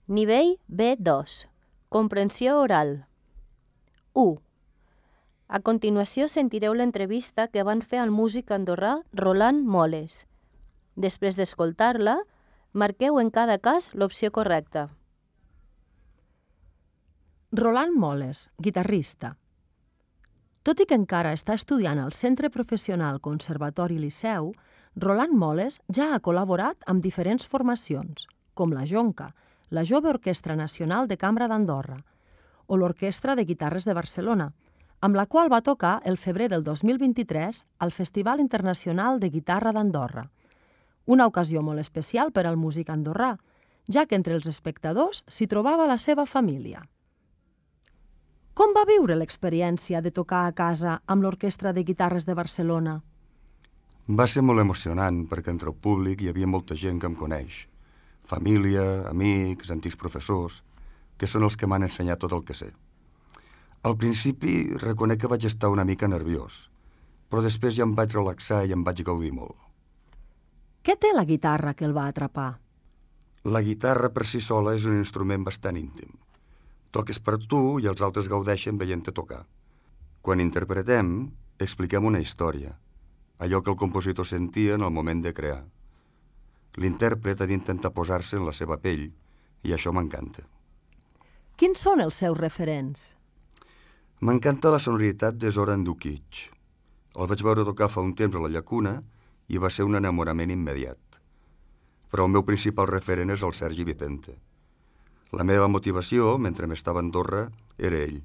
Nivell B2. Comprensió oral. 1. A continuació sentireu l'entrevista que van fer al músic andorrà Roland Moles. Després d'escoltar-la, marqueu en cada cas l'opció correcta. Roland Moles, guitarrista. Tot i que encara està estudiant al Centre Professional Conservatori Liceu, Roland Moles ja ha col·laborat amb diferents formacions, com la Jonca, la Jove Orquestra Nacional de Cambra d'Andorra, o l'Orquestra de Guitarres de Barcelona, amb la qual va tocar el febrer del 2023 al Festival Internacional de Guitarra d'Andorra, una ocasió molt especial per al músic andorrà, ja que entre els espectadors s'hi trobava la seva família. Com va viure l'experiència de tocar a casa amb l'Orquestra de Guitarres de Barcelona? Va ser molt emocionant perquè entre el públic hi havia molta gent que em coneix. Família, amics, antics professors, que són els que m'han ensenyat tot el que sé. Al principi reconec que vaig estar una mica nerviós, però després ja em vaig relaxar i em vaig gaudir molt. Què té la guitarra que el va atrapar? La guitarra per si sola és un instrument bastant íntim. Toques per tu i els altres gaudeixen veient-te tocar. Quan interpretem, expliquem una història, allò que el compositor sentia en el moment de crear. L'intèrpret ha d'intentar posar-se en la seva pell i això m'encanta. Quins són els seus referents? M'encanta la sonoritat de Zoran Dukic. El vaig veure tocar fa un temps a la Llacuna i va ser un enamorament immediat. Però el meu principal referent és el Sergi Vicente. La meva motivació, mentre m'estava a Andorra, era ell.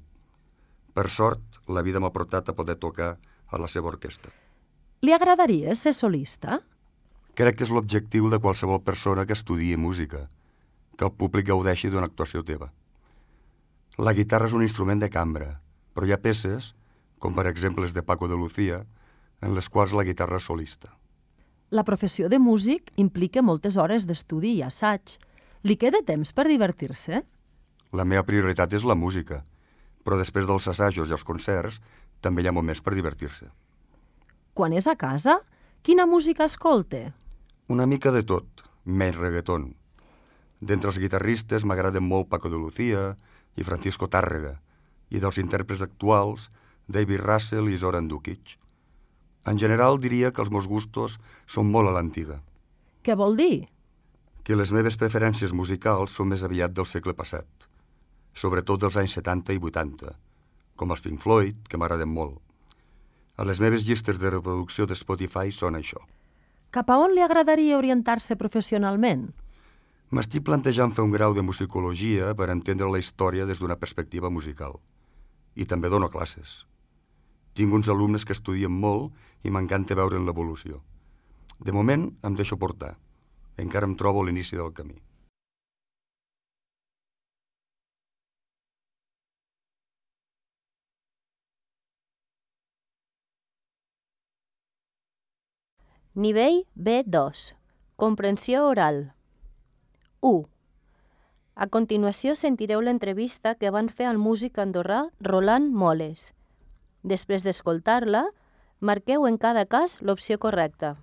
Per sort, la vida m'ha portat a poder tocar a la seva orquestra. Li agradaria ser solista? Crec que és l'objectiu de qualsevol persona que estudiï música, que el públic gaudeixi d'una actuació teva. La guitarra és un instrument de cambra, però hi ha peces, com per exemple les de Paco de Lucía, en les quals la guitarra és solista. La professió de músic implica moltes hores d'estudi i assaig. Li queda temps per divertir-se? La meva prioritat és la música, però després dels assajos i els concerts també hi ha moments per divertir-se. Quan és a casa, quina música escolta? Una mica de tot, menys reggaeton. D'entre els guitarristes m'agraden molt Paco de Lucía i Francisco Tárrega, i dels intèrprets actuals, David Russell i Zoran Dukic. En general diria que els meus gustos són molt a l'antiga. Què vol dir? Que les meves preferències musicals són més aviat del segle passat, sobretot dels anys 70 i 80, com els Pink Floyd, que m'agraden molt. A les meves llistes de reproducció de Spotify són això. Cap a on li agradaria orientar-se professionalment? M'estic plantejant fer un grau de musicologia per entendre la història des d'una perspectiva musical. I també dono classes. Tinc uns alumnes que estudien molt i m'encanta veure'n l'evolució. De moment em deixo portar. Encara em trobo a l'inici del camí. Nivell B2. Comprensió oral. 1. A continuació sentireu l'entrevista que van fer al músic andorrà Roland Moles. Després d'escoltar-la, marqueu en cada cas l'opció correcta.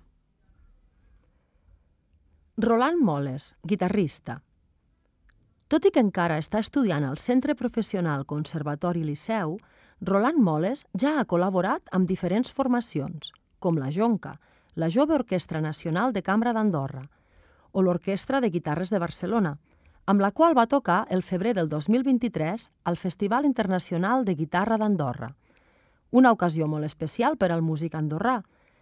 Roland Moles, guitarrista. Tot i que encara està estudiant al Centre Professional Conservatori Liceu, Roland Moles ja ha col·laborat amb diferents formacions, com la Jonca, la Jove Orquestra Nacional de Cambra d'Andorra, o l'Orquestra de Guitarres de Barcelona, amb la qual va tocar el febrer del 2023 al Festival Internacional de Guitarra d'Andorra, una ocasió molt especial per al músic andorrà,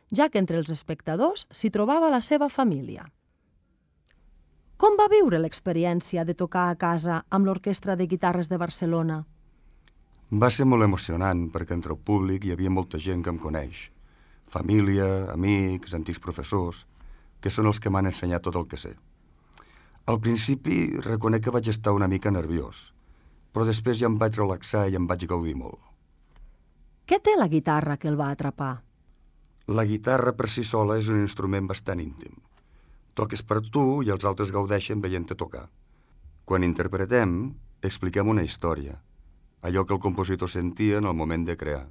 ja que entre els espectadors s'hi trobava la seva família. Com va viure l'experiència de tocar a casa amb l'Orquestra de Guitarres de Barcelona? Va ser molt emocionant perquè entre el públic hi havia molta gent que em coneix. Família, amics, antics professors, que són els que m'han ensenyat tot el que sé. Al principi reconec que vaig estar una mica nerviós, però després ja em vaig relaxar i em vaig gaudir molt. Què té la guitarra que el va atrapar? La guitarra per si sola és un instrument bastant íntim. Toques per tu i els altres gaudeixen veient-te tocar. Quan interpretem, expliquem una història, allò que el compositor sentia en el moment de crear.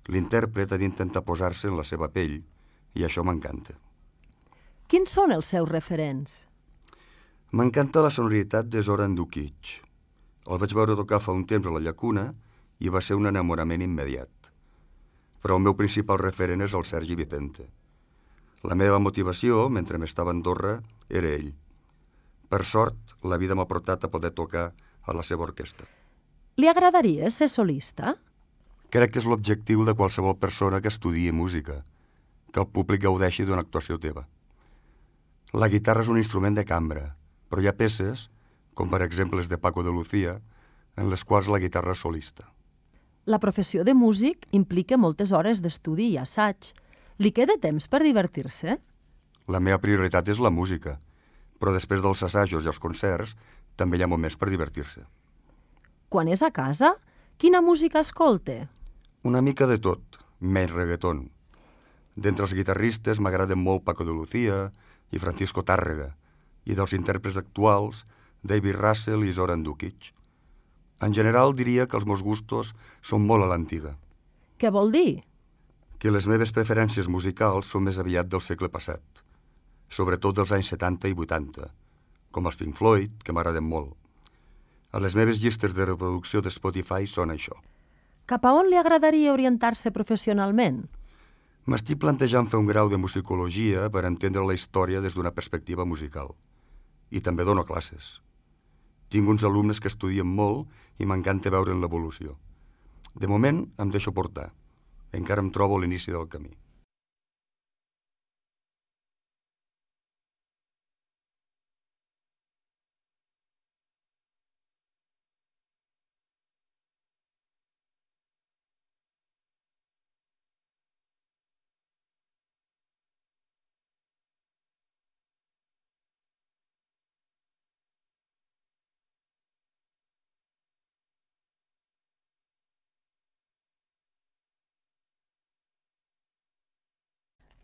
L'intèrpret ha d'intentar posar-se en la seva pell i això m'encanta. Quins són els seus referents? M'encanta la sonoritat de Zoran Dukic. El vaig veure tocar fa un temps a la Llacuna i va ser un enamorament immediat. Però el meu principal referent és el Sergi Vicente. La meva motivació, mentre m'estava a Andorra, era ell. Per sort, la vida m'ha portat a poder tocar a la seva orquestra. Li agradaria ser solista? Crec que és l'objectiu de qualsevol persona que estudiï música, que el públic gaudeixi d'una actuació teva. La guitarra és un instrument de cambra, però hi ha peces, com per exemple les de Paco de Lucía, en les quals la guitarra és solista. La professió de músic implica moltes hores d'estudi i assaig. Li queda temps per divertir-se? La meva prioritat és la música, però després dels assajos i els concerts també hi ha moments per divertir-se. Quan és a casa, quina música escolta? Una mica de tot, menys reggaeton. D'entre els guitarristes m'agraden molt Paco de Lucía i Francisco Tárrega, i dels intèrprets actuals, David Russell i Zoran Dukic. En general diria que els meus gustos són molt a l'antiga. Què vol dir? Que les meves preferències musicals són més aviat del segle passat, sobretot dels anys 70 i 80, com els Pink Floyd, que m'agraden molt. A les meves llistes de reproducció de Spotify són això. Cap a on li agradaria orientar-se professionalment? M'estic plantejant fer un grau de musicologia per entendre la història des d'una perspectiva musical. I també dono classes. Tinc uns alumnes que estudien molt i m'encanta veure'n l'evolució. De moment em deixo portar. Encara em trobo a l'inici del camí.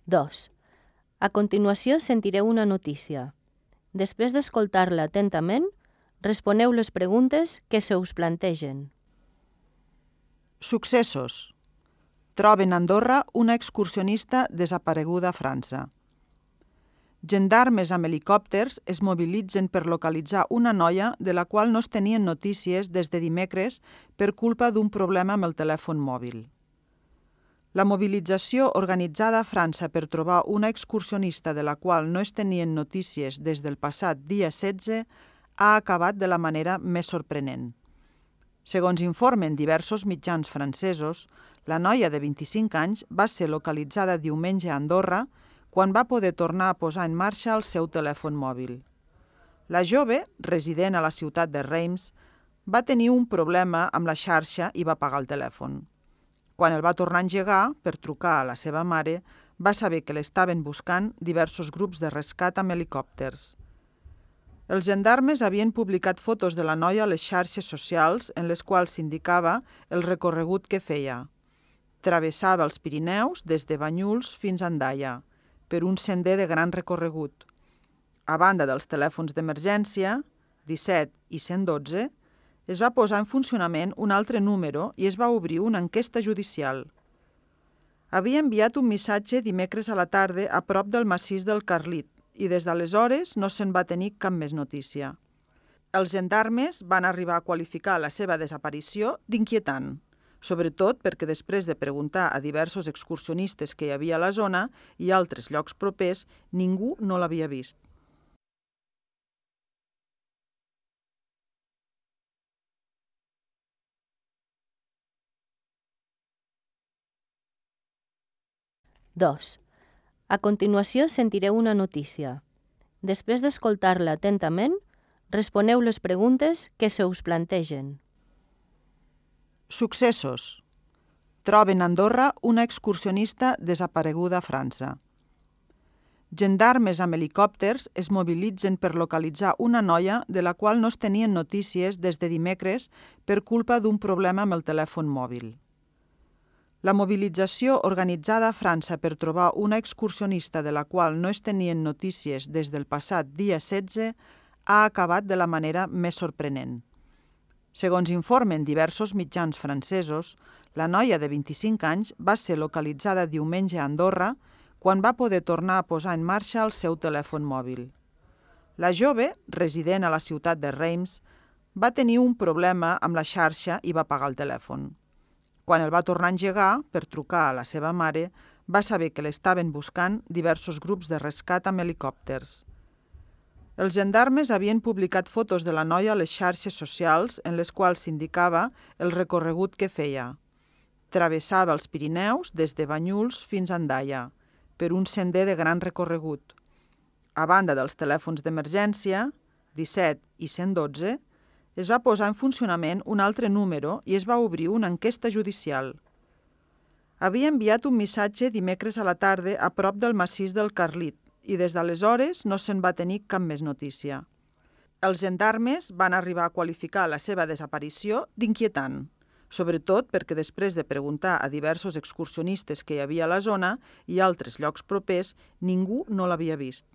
Dos. A continuació sentireu una notícia. Després d'escoltar-la atentament, responeu les preguntes que se us plantegen. Successos. Troben a Andorra una excursionista desapareguda a França. Gendarmes amb helicòpters es mobilitzen per localitzar una noia de la qual no es tenien notícies des de dimecres per culpa d'un problema amb el telèfon mòbil. La mobilització organitzada a França per trobar una excursionista de la qual no es tenien notícies des del passat dia 16 ha acabat de la manera més sorprenent. Segons informen diversos mitjans francesos, la noia de 25 anys va ser localitzada diumenge a Andorra quan va poder tornar a posar en marxa el seu telèfon mòbil. La jove, resident a la ciutat de Reims, va tenir un problema amb la xarxa i va apagar el telèfon. Quan el va tornar a engegar, per trucar a la seva mare, va saber que l'estaven buscant diversos grups de rescat amb helicòpters. Els gendarmes havien publicat fotos de la noia a les xarxes socials en les quals s'indicava el recorregut que feia. Travessava els Pirineus des de Banyuls fins a Andaia, per un sender de gran recorregut. A banda dels telèfons d'emergència, 17 i 112, es va posar en funcionament un altre número i es va obrir una enquesta judicial. Havia enviat un missatge dimecres a la tarda a prop del massís del Carlit i des d'aleshores no se'n va tenir cap més notícia. Els gendarmes van arribar a qualificar la seva desaparició d'inquietant, sobretot perquè després de preguntar a diversos excursionistes que hi havia a la zona i a altres llocs propers, ningú no l'havia vist. Dos. A continuació sentireu una notícia. Després d'escoltar-la atentament, responeu les preguntes que se us plantegen. Successos. Troben a Andorra una excursionista desapareguda a França. Gendarmes amb helicòpters es mobilitzen per localitzar una noia de la qual no es tenien notícies des de dimecres per culpa d'un problema amb el telèfon mòbil. La mobilització organitzada a França per trobar una excursionista de la qual no es tenien notícies des del passat dia 16 ha acabat de la manera més sorprenent. Segons informen diversos mitjans francesos, la noia de 25 anys va ser localitzada diumenge a Andorra quan va poder tornar a posar en marxa el seu telèfon mòbil. La jove, resident a la ciutat de Reims, va tenir un problema amb la xarxa i va pagar el telèfon. Quan el va tornar a engegar per trucar a la seva mare, va saber que l'estaven buscant diversos grups de rescat amb helicòpters. Els gendarmes havien publicat fotos de la noia a les xarxes socials en les quals s'indicava el recorregut que feia. Travessava els Pirineus des de Banyuls fins a Andaia, per un sender de gran recorregut. A banda dels telèfons d'emergència, 17 i 112, es va posar en funcionament un altre número i es va obrir una enquesta judicial. Havia enviat un missatge dimecres a la tarda a prop del massís del Carlit i des d'aleshores no se'n va tenir cap més notícia. Els gendarmes van arribar a qualificar la seva desaparició d'inquietant, sobretot perquè després de preguntar a diversos excursionistes que hi havia a la zona i altres llocs propers, ningú no l'havia vist.